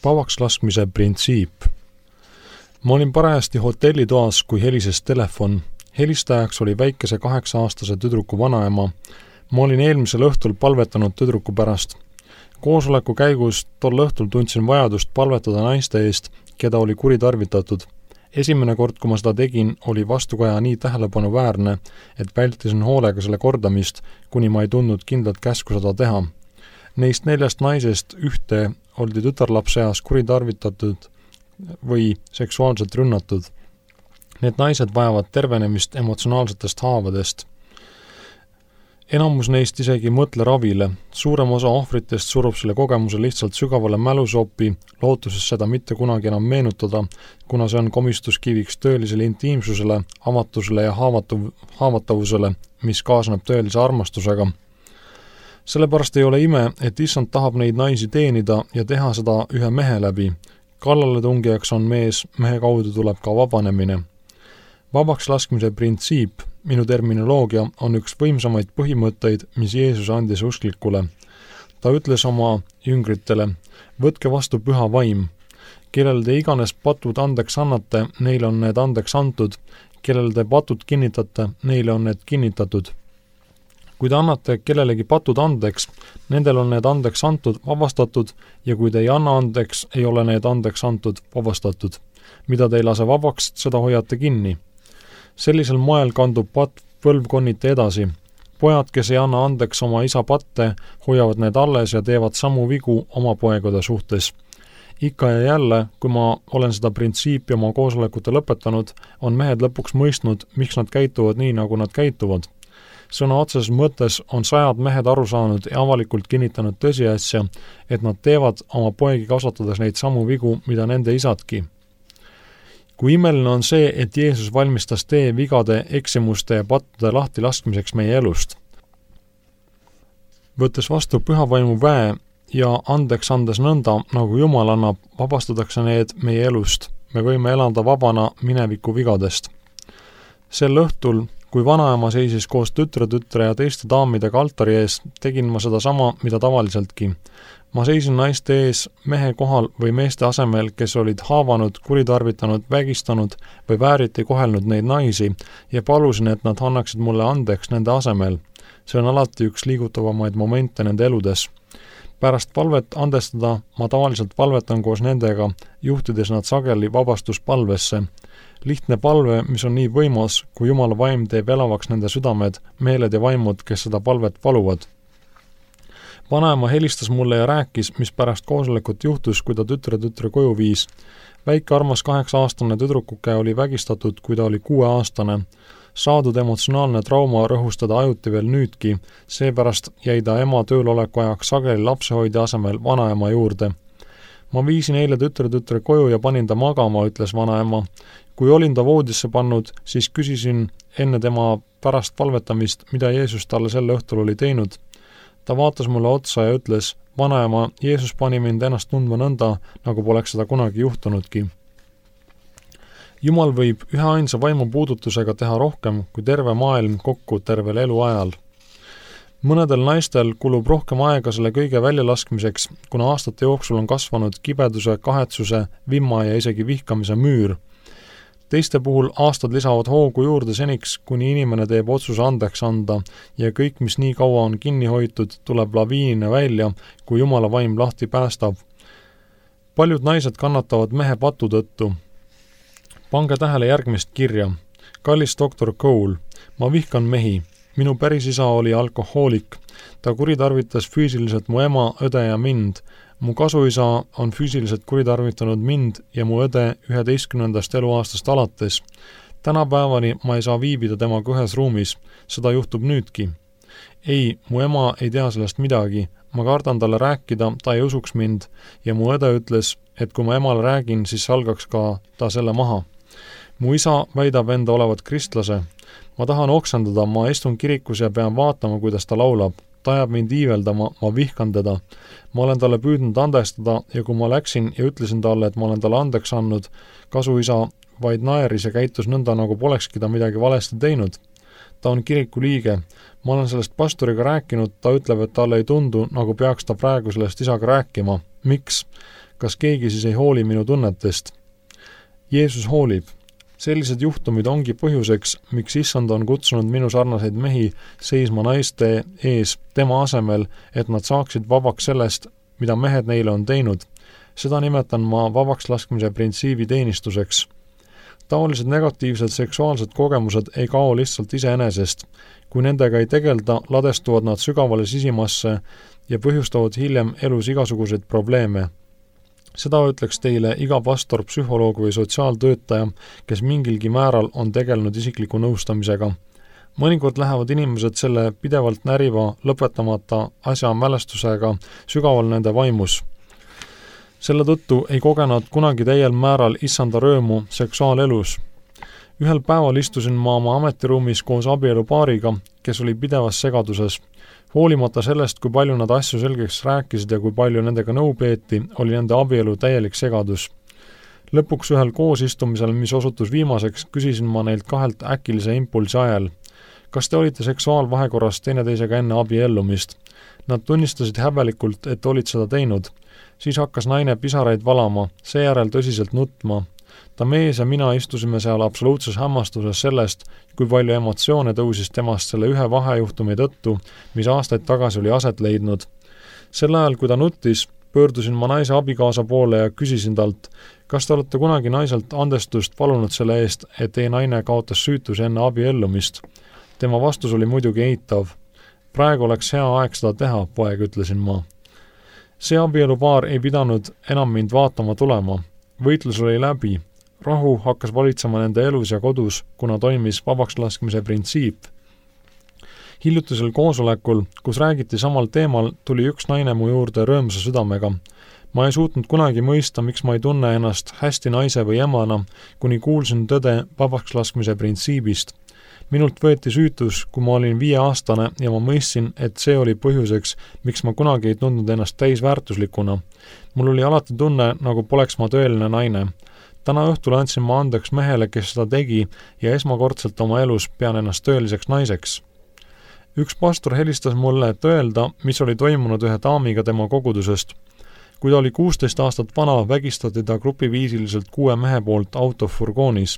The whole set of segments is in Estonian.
Vabaks laskmise printsiip. Ma olin parajasti hotellitoas, kui helises telefon. Helistajaks oli väikese 8-aastase tüdruku vanaema. Ma olin eelmisel õhtul palvetanud tüdruku pärast. Koosoleku käigus tol õhtul tundsin vajadust palvetada naiste eest, keda oli kuritarvitatud. Esimene kord, kui ma seda tegin, oli vastukaja nii tähelepanuväärne, et vältisin hoolega selle kordamist, kuni ma ei tundnud kindlat käsku seda teha. Neist 4 naisest ühte oldi tütarlapseas kuritarvitatud või seksuaalselt rünnatud. Need naised vajavad tervenemist emotsionaalsetest haavadest. Enamus neist isegi ei mõtle ravile. Suurem osa ohvritest surub selle kogemuse lihtsalt sügavale mälusoppi, lootuses seda mitte kunagi enam meenutada, kuna see on komistuskiviks tõelisele intiimsusele, avatusele ja haavatavusele, mis kaasneb tõelise armastusega. Sellepärast ei ole ime, et issand tahab neid naisi teenida ja teha seda ühe mehe läbi. Kallaletungijaks on mees, mehe kaudu tuleb ka vabanemine. Vabaks laskmise printsiip, minu terminoloogia, on üks võimsamaid põhimõtteid, mis Jeesus andis usklikule. Ta ütles oma jüngritele, võtke vastu püha vaim. Kellel te iganes patud andeks annate, neile on need andeks antud. Kellel te patud kinnitate, neile on need kinnitatud. Kui te annate kellelegi patud andeks, nendel on need andeks antud, vabastatud, ja kui te ei anna andeks, ei ole need andeks antud, vabastatud. Mida te ei lase vabaks, seda hoiate kinni. Sellisel moel kandub patt põlvkonniti edasi. Pojad, kes ei anna andeks oma isa patte, hoiavad need alles ja teevad samu vigu oma poegade suhtes. Ikka ja jälle, kui ma olen seda printsiipi oma koosolekute lõpetanud, on mehed lõpuks mõistnud, miks nad käituvad nii, nagu nad käituvad. Sõna otseses mõttes on 100 mehed aru saanud ja avalikult kinnitanud tõsiasja, et nad teevad oma poegi kasvatades neid samu vigu, mida nende isadki. Kui imeline on see, et Jeesus valmistas tee vigade, eksimuste ja pattude lahti laskmiseks meie elust. Võttes vastu pühavaimu väe ja andeks andes nõnda, nagu Jumal annab, vabastatakse need meie elust. Me võime elada vabana mineviku vigadest. Sel õhtul, kui vanaema seisis koos tütre ja teiste daamidega altari ees, tegin ma seda sama, mida tavaliseltki. Ma seisin naiste ees mehe kohal või meeste asemel, kes olid haavanud, kuritarvitanud, vägistanud või vääriti kohelnud neid naisi ja palusin, et nad annaksid mulle andeks nende asemel. See on alati üks liigutavamaid momente nende eludes. Pärast palvet andestada ma tavaliselt palvetan koos nendega, juhtides nad sageli vabastuspalvesse. Lihtne palve, mis on nii võimas, kui Jumala vaim teeb elavaks nende südamed, meeled ja vaimud, kes seda palvet paluvad. Vanaema helistas mulle ja rääkis, mis pärast koosolekut juhtus, kui ta tütre koju viis. Väike armas 8-aastane tüdrukuke oli vägistatud, kui ta oli 6-aastane. Saadud emotsionaalne trauma rõhus teda ajuti veel nüüdki, seepärast jäi ta ema tööloleku ajaks sageli lapsehoidja asemel vanaema juurde. Ma viisin eile tütre koju ja panin ta magama, ütles vanaema. Kui olin ta voodisse pannud, siis küsisin enne tema pärast palvetamist, mida Jeesus talle selle õhtul oli teinud. Ta vaatas mulle otsa ja ütles, vanaema, Jeesus pani mind ennast tundma nõnda, nagu poleks seda kunagi juhtunudki. Jumal võib üheainsa vaimu puudutusega teha rohkem kui terve maailm kokku tervel eluajal. Mõnedel naistel kulub rohkem aega selle kõige väljalaskmiseks, kuna aastate jooksul on kasvanud kibeduse, kahetsuse, vimma ja isegi vihkamise müür. Teiste puhul aastad lisavad hoogu juurde seniks, kuni inimene teeb otsuse andeks anda ja kõik, mis nii kaua on kinni hoitud, tuleb laviinina välja, kui Jumala vaim lahti päästab. Paljud naised kannatavad mehe patu tõttu. Pange tähele järgmist kirja. Kallis doktor Cole, ma vihkan mehi. Minu pärisisa oli alkohoolik. Ta kuritarvitas füüsiliselt mu ema, õde ja mind. Mu kasuisa on füüsiliselt kuritarvitanud mind ja mu õde 11. eluaastast alates. Tänapäevani ma ei saa viibida temaga ühes ruumis. Seda juhtub nüüdki. Ei, mu ema ei tea sellest midagi. Ma kardan talle rääkida, ta ei usuks mind ja mu õde ütles, et kui ma emale räägin, siis salgaks ka ta selle maha. Mu isa väidab enda olevat kristlase. Ma tahan oksendada, ma istun kirikus ja pean vaatama, kuidas ta laulab. Ta ajab mind iiveldama, ma vihkan teda. Ma olen talle püüdnud andestada ja kui ma läksin ja ütlesin talle, et ma olen talle andeks andnud, kasuisa vaid naeris ja käitus nõnda, nagu polekski ta midagi valesti teinud. Ta on kiriku liige. Ma olen sellest pastoriga rääkinud, ta ütleb, et talle ei tundu, nagu peaks ta praegu sellest isaga rääkima. Miks? kas keegi siis ei hooli minu tunnetest? Jeesus hoolib. Sellised juhtumid ongi põhjuseks, miks Issand on kutsunud minu sarnaseid mehi seisma naiste ees tema asemel, et nad saaksid vabaks sellest, mida mehed neile on teinud. Seda nimetan ma vabaks laskmise printsiibi teenistuseks. Taolised negatiivsed seksuaalsed kogemused ei kao lihtsalt iseenesest. Kui nendega ei tegelda, ladestuvad nad sügavale sisimasse ja põhjustavad hiljem elus igasuguseid probleeme. Seda ütleks teile iga pastor, psühholoog või sotsiaaltöötaja, kes mingilgi määral on tegelenud isikliku nõustamisega. Mõnikord lähevad inimesed selle pidevalt näriva, lõpetamata asja mälestusega sügaval nende vaimus. Selle tõttu ei kogenud kunagi täiel määral issanda rõõmu seksuaalelus. Ühel päeval istusin ma oma ametiruumis koos abielupaariga, kes oli pidevas segaduses. Hoolimata sellest, kui palju nad asju selgeks rääkisid ja kui palju nendega nõu peeti, oli nende abielu täielik segadus. Lõpuks ühel koosistumisel, mis osutus viimaseks, küsisin ma neilt kahelt äkilise impulsi ajal. Kas te olite seksuaalvahekorras teineteisega enne abiellumist? Nad tunnistasid häbelikult, et olid seda teinud. Siis hakkas naine pisaraid valama, seejärel tõsiselt nutma. Ta mees ja mina istusime seal absoluutses hämmastuses sellest, kui palju emotsioone tõusis temast selle ühe vahejuhtumi tõttu, mis aastaid tagasi oli aset leidnud. Sel ajal, kui ta nuttis, pöördusin ma naise abikaasa poole ja küsisin talt, kas te olete kunagi naiselt andestust palunud selle eest, et teie naine kaotas süütuse enne abiellumist? Tema vastus oli muidugi eitav. Praegu oleks hea aeg seda teha, poeg, ütlesin ma. See abielupaar ei pidanud enam mind vaatama tulema. Võitlus oli läbi. Rahu hakkas valitsema nende elus ja kodus, kuna toimis vabaks laskmise printsiip. Hiljutisel koosolekul, kus räägiti samal teemal, tuli üks naine mu juurde rõõmsa südamega. Ma ei suutnud kunagi mõista, miks ma ei tunne ennast hästi naise või emana, kuni kuulsin tõde vabaks laskmise printsiibist. Minult võeti süütus, kui ma olin 5-aastane ja ma mõistsin, et see oli põhjuseks, miks ma kunagi ei tundnud ennast täisväärtuslikuna. Mul oli alati tunne, nagu poleks ma tõeline naine. Täna õhtul andsin ma andeks mehele, kes seda tegi ja esmakordselt oma elus pean ennast tõeliseks naiseks. Üks pastor helistas mulle, et öelda, mis oli toimunud ühe daamiga tema kogudusest. Kui ta oli 16 aastat vana, vägistati ta grupiviisiliselt 6 mehe poolt autofurgoonis.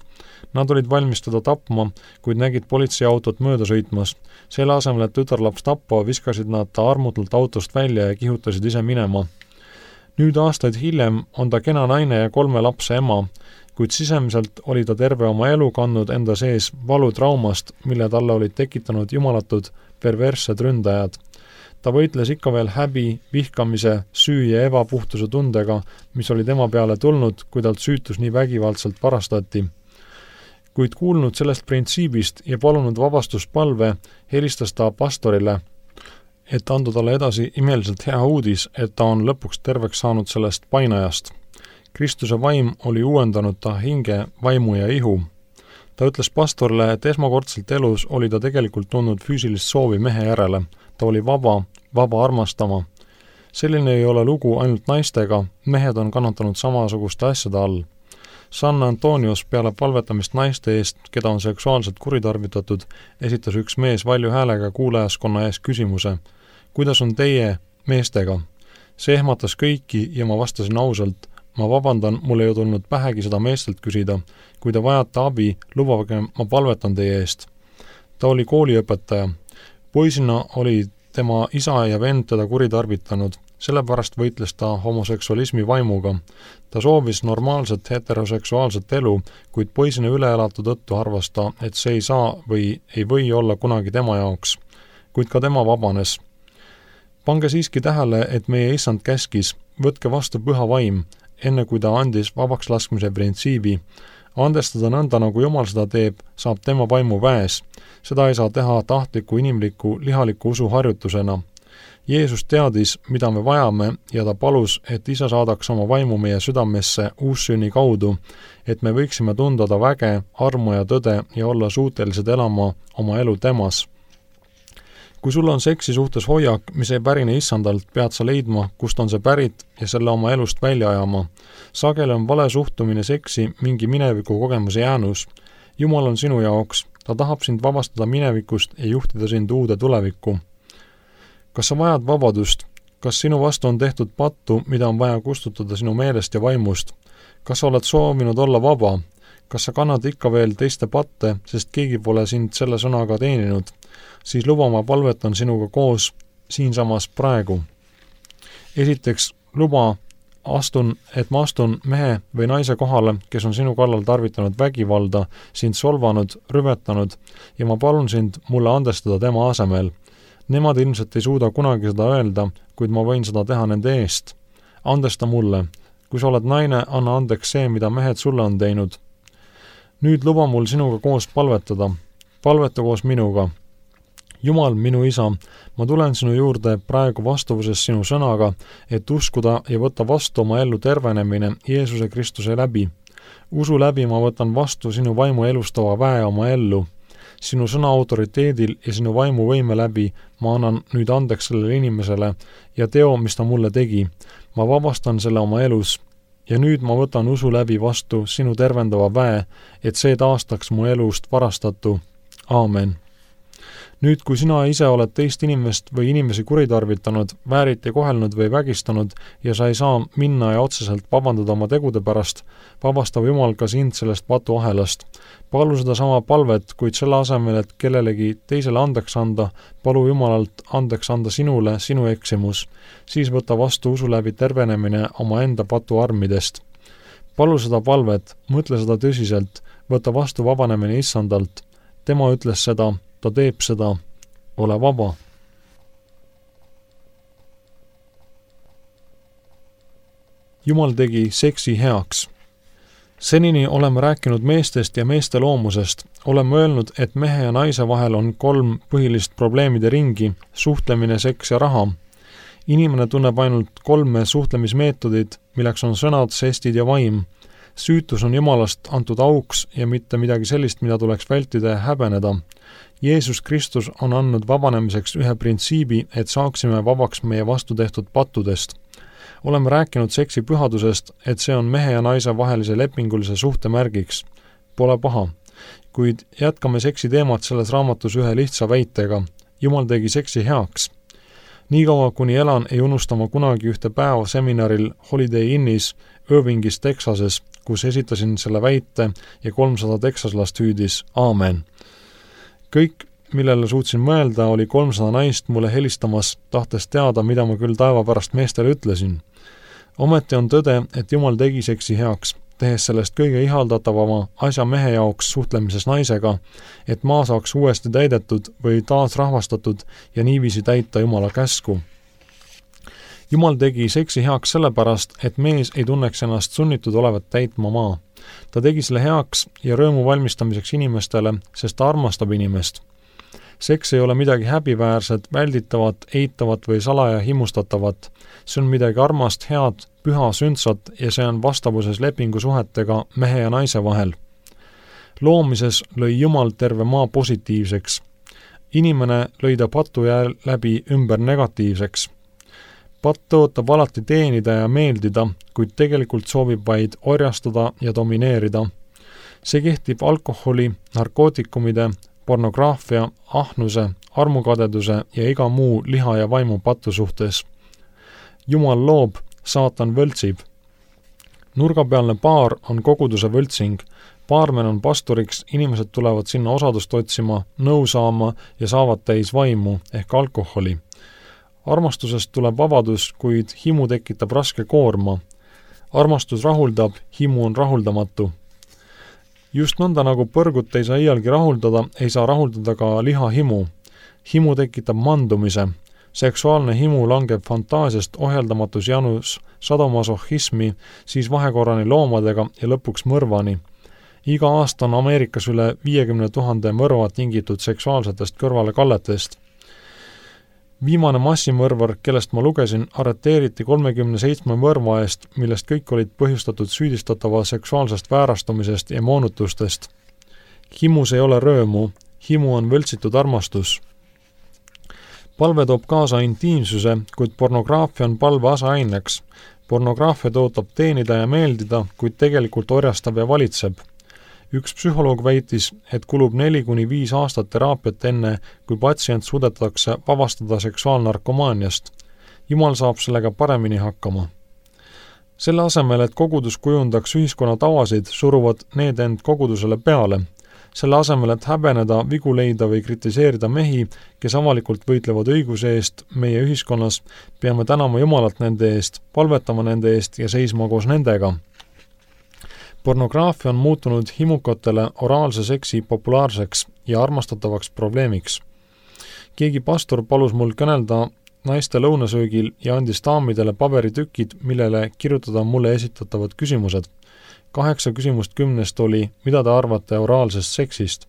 Nad olid valmis teda tapma, kuid nägid politseiautot mööda sõitmas. Selle asemel, et tütarlaps tappa, viskasid nad ta armutult autost välja ja kihutasid ise minema. Nüüd aastaid hiljem on ta kena naine ja 3 lapse ema, kuid sisemiselt oli ta terve oma elu kandnud enda sees valutraumast, mille talle olid tekitanud jumalatud perverssed ründajad. Ta võitles ikka veel häbi, vihkamise, süü ja ebapuhtuse tundega, mis oli tema peale tulnud, kui talt süütus nii vägivaldselt varastati. Kuid kuulnud sellest printsiibist ja palunud vabastuspalve, helistas ta pastorile, et anda talle edasi imeliselt hea uudis, et ta on lõpuks terveks saanud sellest painajast. Kristuse vaim oli uuendanud ta hinge, vaimu ja ihu. Ta ütles pastorile, et esmakordselt elus oli ta tegelikult tundnud füüsilist soovi mehe järele. Ta oli vaba armastama. Selline ei ole lugu ainult naistega, mehed on kannatanud samasuguste asjade all. San Antonios peale palvetamist naiste eest, keda on seksuaalselt kuritarvitatud, esitas üks mees valju häälega kuulajaskonna ees küsimuse, kuidas on teie meestega? See ehmatas kõiki ja ma vastasin ausalt, ma vabandan, mul ei tulnud pähegi seda meestelt küsida, kui te vajate abi, lubage, ma palvetan teie eest. Ta oli kooliõpetaja. Poisina oli tema isa ja vend teda kuritarvitanud, sellepärast võitles ta homoseksualismi vaimuga. Ta soovis normaalset heteroseksuaalset elu, kuid poisina üleelatu tõttu arvas ta, et see ei saa või ei või olla kunagi tema jaoks. Kuid ka tema vabanes. Pange siiski tähele, et meie issand käskis, võtke vastu püha vaim, enne kui ta andis vabaks laskmise printsiibi. Andestada nõnda, nagu Jumal seda teeb, saab tema vaimu väes. Seda ei saa teha tahtliku, inimliku, lihaliku usu harjutusena. Jeesus teadis, mida me vajame ja ta palus, et isa saadaks oma vaimu meie südamesse uussünni kaudu, et me võiksime tunda ta väge, armu ja tõde ja olla suutelised elama oma elu temas. Kui sul on seksi suhtes hoiak, mis ei pärine issandalt, pead sa leidma, kust on see pärit ja selle oma elust välja ajama. Sageli on vale suhtumine seksi mingi mineviku kogemuse jäänus. Jumal on sinu jaoks, ta tahab sind vabastada minevikust ja juhtida sind uude tulevikku. Kas sa vajad vabadust? kas sinu vastu on tehtud pattu, mida on vaja kustutada sinu meelest ja vaimust? Kas sa oled soovinud olla vaba? Kas sa kannad ikka veel teiste patte, sest keegi pole sind selle sõnaga teeninud? Siis luba, ma palvetan sinuga koos siinsamas praegu. Esiteks, luba, et ma astun mehe või naise kohale, kes on sinu kallal tarvitanud vägivalda, sind solvanud, rüvetanud ja ma palun sind mulle andestada tema asemel. Nemad ilmselt ei suuda kunagi seda öelda, kuid ma võin seda teha nende eest. Andesta mulle. Kui sa oled naine, anna andeks see, mida mehed sulle on teinud. Nüüd luba mul sinuga koos palvetada. Palveta koos minuga. Jumal, minu isa, ma tulen sinu juurde praegu vastavuses sinu sõnaga, et uskuda ja võtta vastu oma ellu tervenemine Jeesuse Kristuse läbi. Usu läbi ma võtan vastu sinu vaimu elustava väe oma ellu. Sinu sõna autoriteedil ja sinu vaimu võime läbi ma annan nüüd andeks sellele inimesele ja teo, mis ta mulle tegi. Ma vabastan selle oma elus ja nüüd ma võtan usu läbi vastu sinu tervendava väe, et see taastaks mu elust varastatu. Aamen. Nüüd, kui sina ise oled teist inimest või inimesi kuritarvitanud, vääriti kohelnud või vägistanud ja sa ei saa minna ja otseselt vabandada oma tegude pärast, vabastab Jumal ka sind sellest patuahelast. Palu seda sama palvet, kuid selle asemel, et kellelegi teisele andeks anda, palu Jumalalt andeks anda sinule sinu eksimus. Siis võta vastu usu läbi tervenemine oma enda patuarmidest. Palu seda palvet, mõtle seda tõsiselt, võta vastu vabanemine Issandalt. Tema ütles seda, ta teeb seda, ole vaba. Jumal tegi seksi heaks. Senini oleme rääkinud meestest ja meeste loomusest. Oleme öelnud, et mehe ja naise vahel on 3 põhilist probleemide ringi, suhtlemine, seks ja raha. Inimene tunneb ainult 3 suhtlemismeetodid, milleks on sõnad, žestid ja vaim. Süütus on Jumalast antud auks ja mitte midagi sellist, mida tuleks vältida ja häbeneda. Jeesus Kristus on andnud vabanemiseks ühe printsiibi, et saaksime vabaks meie vastu tehtud pattudest. Oleme rääkinud seksi pühadusest, et see on mehe ja naise vahelise lepingulise suhte märgiks. Pole paha. Kuid jätkame seksi teemat selles raamatus ühe lihtsa väitega. Jumal tegi seksi heaks. Niikaua kuni elan, ei unustama kunagi ühte päeva seminaril Holiday Innis Irvingis, Texases, kus esitasin selle väite ja 300 teksaslast hüüdis Aamen. Kõik, millele suutsin mõelda, oli 300 naist mulle helistamas, tahtes teada, mida ma küll taeva pärast meestele ütlesin. Ometi on tõde, et Jumal tegi seksi heaks, tehes sellest kõige ihaldatavama asja mehe jaoks suhtlemises naisega, et maa saaks uuesti täidetud või taas rahvastatud ja niiviisi täita Jumala käsku. Jumal tegi seksi heaks sellepärast, et mees ei tunneks ennast sunnitud olevat täitma maa. Ta tegi selle heaks ja rõõmu valmistamiseks inimestele, sest ta armastab inimest. Seks ei ole midagi häbiväärset, välditavat, eitavat või salaja himustatavat. See on midagi armast, head, püha, sündsat ja see on vastavuses lepingusuhetega mehe ja naise vahel. Loomises lõi Jumal terve maa positiivseks. Inimene lõi ta patu läbi ümber negatiivseks. Patt tõotab alati teenida ja meeldida, kuid tegelikult soovib vaid orjastada ja domineerida. See kehtib alkoholi, narkootikumide, pornograafia, ahnuse, armukadeduse ja iga muu liha ja vaimu patu suhtes. Jumal loob, saatan võltsib. Nurgapealne paar on koguduse võltsing. Paarmen on pastoriks, inimesed tulevad sinna osadust otsima, nõu saama ja saavad täis vaimu ehk alkoholi. Armastusest tuleb vabadus, kuid himu tekitab raske koorma. Armastus rahuldab, himu on rahuldamatu. Just nõnda nagu põrgut ei saa iialgi rahuldada, ei saa rahuldada ka liha himu. Himu tekitab mandumise. Seksuaalne himu langeb fantaasiast ohjeldamatus janus sadomasohhismi, siis vahekorrani loomadega ja lõpuks mõrvani. Iga aasta on Ameerikas üle 50 000 mõrva tingitud seksuaalsetest kõrvalekalletest. Viimane massimõrvar, kellest ma lugesin, arreteeriti 37 mõrva eest, millest kõik olid põhjustatud süüdistatava seksuaalsest väärastumisest ja moonutustest. Himus ei ole rõõmu, himu on võltsitud armastus. Palve toob kaasa intiimsuse, kuid pornograafia on palve aseaineks. Pornograafia tõotab teenida ja meeldida, kuid tegelikult orjastab ja valitseb. Üks psühholoog väitis, et kulub 4-5 aastat teraapiat enne, kui patsient suudetakse vabastada seksuaalnarkomaaniast. Jumal saab sellega paremini hakkama. Selle asemel, et kogudus kujundaks ühiskonna tavasid, suruvad need end kogudusele peale. Selle asemel, et häbeneda, vigu leida või kritiseerida mehi, kes avalikult võitlevad õiguse eest meie ühiskonnas, peame tänama Jumalat nende eest, palvetama nende eest ja seisma koos nendega. Pornograafia on muutunud himukatele oraalse seksi populaarseks ja armastatavaks probleemiks. Keegi pastor palus mul kõnelda naiste lõunasöögil ja andis daamidele paberitükid, millele kirjutada mulle esitatavad küsimused. 8 küsimust 10 oli, mida te arvate oraalsest seksist.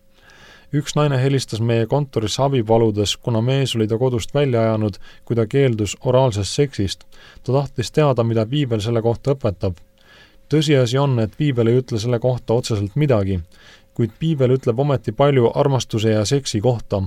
Üks naine helistas meie kontorisse abi paludes, kuna mees oli ta kodust välja ajanud, kui ta keeldus oraalsest seksist. Ta tahtis teada, mida Piibel selle kohta õpetab. Tõsiasi on, et Piibel ei ütle selle kohta otseselt midagi, kuid Piibel ütleb ometi palju armastuse ja seksi kohta.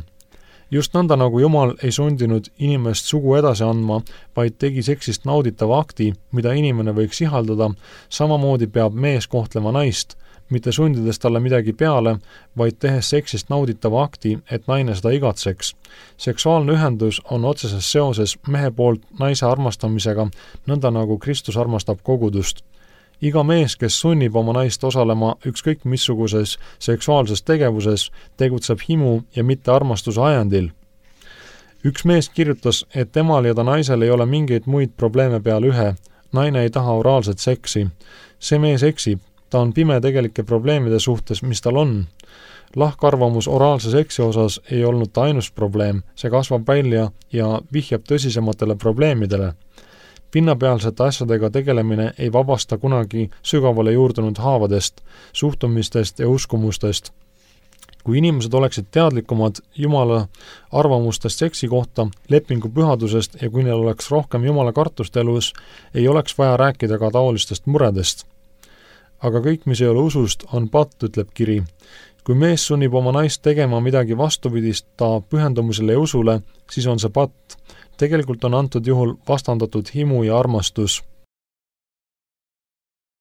Just nõnda nagu Jumal ei sundinud inimest sugu edasi andma, vaid tegi seksist nauditava akti, mida inimene võiks ihaldada, samamoodi peab mees kohtlema naist, mitte sundides talle midagi peale, vaid tehes seksist nauditava akti, et naine seda igatseks. Seksuaalne ühendus on otseses seoses mehe poolt naise armastamisega, nõnda nagu Kristus armastab kogudust. Iga mees, kes sunnib oma naist osalema ükskõik missuguses seksuaalses tegevuses, tegutseb himu ja mitte armastuse ajendil. Üks mees kirjutas, et temal ja ta naisel ei ole mingeid muid probleeme peale ühe. Naine ei taha oraalset seksi. See mees eksib. Ta on pime tegelike probleemide suhtes, mis tal on. Lahkarvamus oraalse seksi osas ei olnud ta ainus probleem. See kasvab välja ja vihjab tõsisematele probleemidele. Pinnapealsete asjadega tegelemine ei vabasta kunagi sügavale juurdunud haavadest, suhtumistest ja uskumustest. Kui inimesed oleksid teadlikumad Jumala arvamustest seksi kohta, lepingu pühadusest ja kui neil oleks rohkem Jumala kartust elus, ei oleks vaja rääkida ka taolistest muredest. Aga kõik, mis ei ole usust, on patt, ütleb kiri. Kui mees sunnib oma naist tegema midagi vastupidist ta pühendumisele ja usule, siis on see patt. Tegelikult on antud juhul vastandatud himu ja armastus.